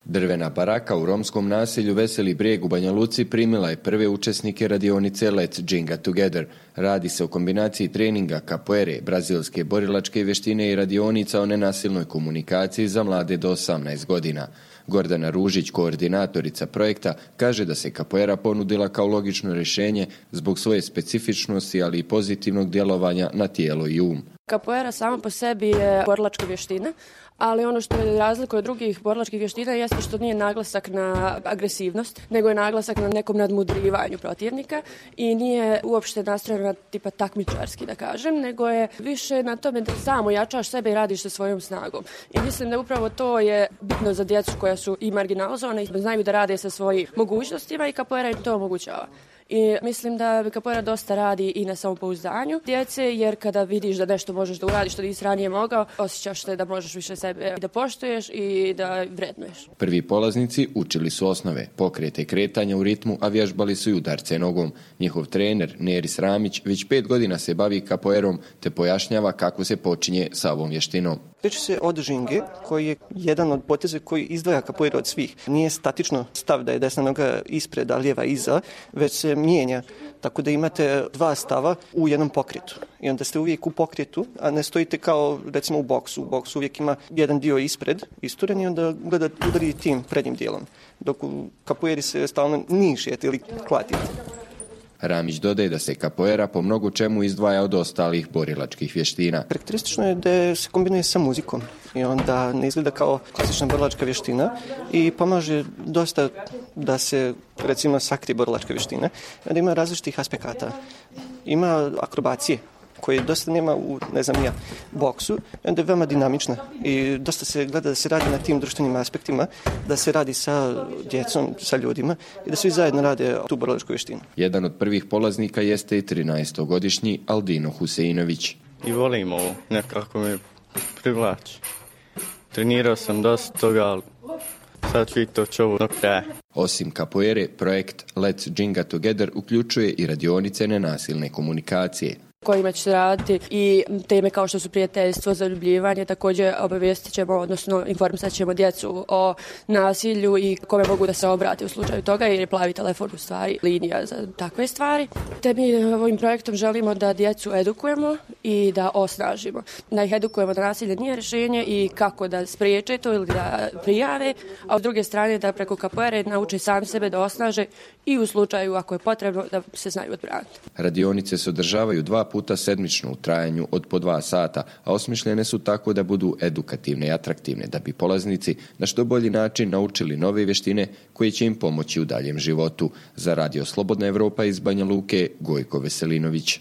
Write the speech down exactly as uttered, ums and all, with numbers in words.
Drvena baraka u romskom naselju Veseli Brijeg u Banja Luci primila je prve učesnike radionice Let's Ginga Together. Radi se o kombinaciji treninga kapoere, brazilske borilačke vještine i radionica o nenasilnoj komunikaciji za mlade do osamnaest godina. Gordana Ružić, koordinatorica projekta, kaže da se kapoera ponudila kao logično rješenje zbog svoje specifičnosti, ali i pozitivnog djelovanja na tijelo i um. Kapoera sama po sebi je borilačka vještina, ali ono što je razlika od drugih borilačkih vještina jeste što nije naglasak na agresivnost, nego je naglasak na nekom nadmudrivanju protivnika i nije uopšte nastrojena tipa takmičarski, da kažem, nego je više na tome da samo jačaš sebe i radiš sa svojom snagom. I mislim da upravo to je bitno za djecu koja su i marginalizovane i znaju da rade sa svojim mogućnostima i kapoera im to omogućava. I mislim da kapoera dosta radi i na samopouzdanju djece, jer kada vidiš da nešto možeš da uradiš što nisi ranije mogao, osjećaš se da možeš više sebe da poštuješ i da vrednuješ. Prvi polaznici učili su osnove, pokrete i kretanja u ritmu, a vježbali su i udarce nogom. Njihov trener, Neris Ramić, već pet godina se bavi kapoerom te pojašnjava kako se počinje sa ovom vještinom. Priča se od žinge, koji je jedan od poteza koji izdvaja kapoeru od svih. Nije statično stav da je desna noga ispred, a lijeva iza, već se mijenja. Tako da imate dva stava u jednom pokretu. I onda ste uvijek u pokretu, a ne stojite kao recimo u boksu. U boksu uvijek ima jedan dio ispred, isturen, i onda gledate udari tim prednjim dijelom. Dok u kapoeri se stalno nišete ili klatite. Ramić dodaje da se kapoera po mnogo čemu izdvaja od ostalih borilačkih vještina. Karakteristično je da se kombinuje sa muzikom i onda ne izgleda kao klasična borilačka vještina i pomaže dosta da se recimo sakrije borilačka vještina. Onda ima različitih aspekata. Ima akrobacije koje dosta nema u, ne znam ja, boksu, onda je veoma dinamična i dosta se gleda da se radi na tim društvenim aspektima, da se radi sa djecom, sa ljudima i da svi zajedno rade tu borilačku vještinu. Jedan od prvih polaznika jeste i trinaestogodišnji Aldino Huseinović. I volim ovo, nekako me privlači. Trenirao sam dosta toga, ali sad ću i to čovu do kraja. Osim kapoere, projekt Let's Ginga Together uključuje i radionice nenasilne komunikacije, kojima će se raditi i teme kao što su prijateljstvo, zaljubljivanje. Također obavijestit ćemo, odnosno informisat ćemo djecu o nasilju i kome mogu da se obrate u slučaju toga, jer je plavi telefon u stvari linija za takve stvari. Te mi ovim projektom želimo da djecu edukujemo i da osnažimo. Da ih edukujemo da nasilje nije rješenje i kako da spriječe to ili da prijave, a s druge strane da preko kapoere nauče sami sebe da osnaže i u slučaju ako je potrebno da se znaju odbraniti. Radionice se održavaju dva puta sedmično u trajanju od po dva sata, a osmišljene su tako da budu edukativne i atraktivne, da bi polaznici na što bolji način naučili nove vještine koje će im pomoći u daljem životu. Za Radio Slobodna Evropa iz Banja Luke, Gojko Veselinović.